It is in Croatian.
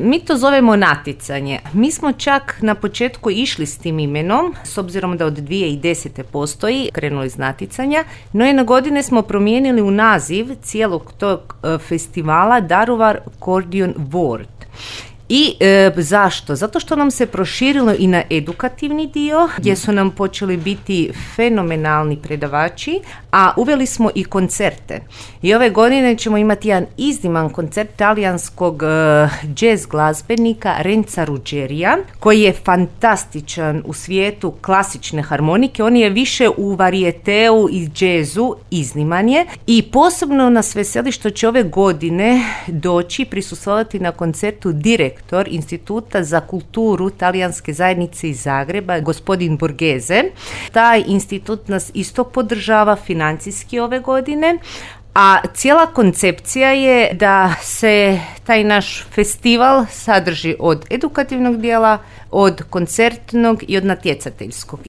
Mi to zovemo natjecanje. Mi smo čak na početku išli s tim imenom, s obzirom da od 2010. postoji, krenuli iz natjecanja, no jedne godine smo promijenili u naziv cijelog tog festivala Daruvar Accordion World. I zašto? Zato što nam se proširilo i na edukativni dio, gdje su nam počeli biti fenomenalni predavači, a uveli smo i koncerte. I ove godine ćemo imati jedan izniman koncert talijanskog jazz glazbenika Renza Ruggerija, koji je fantastičan u svijetu klasične harmonike. On je više u varijeteu i jazzu, izniman je. I posebno nas veseli što će ove godine doći prisustvovati na koncertu direktor Instituta za kulturu talijanske zajednice iz Zagreba, gospodin Borghese. Taj institut nas isto podržava financijski ove godine, a cijela koncepcija je da se taj naš festival sadrži od edukativnog dijela, od koncertnog i od natjecateljskog.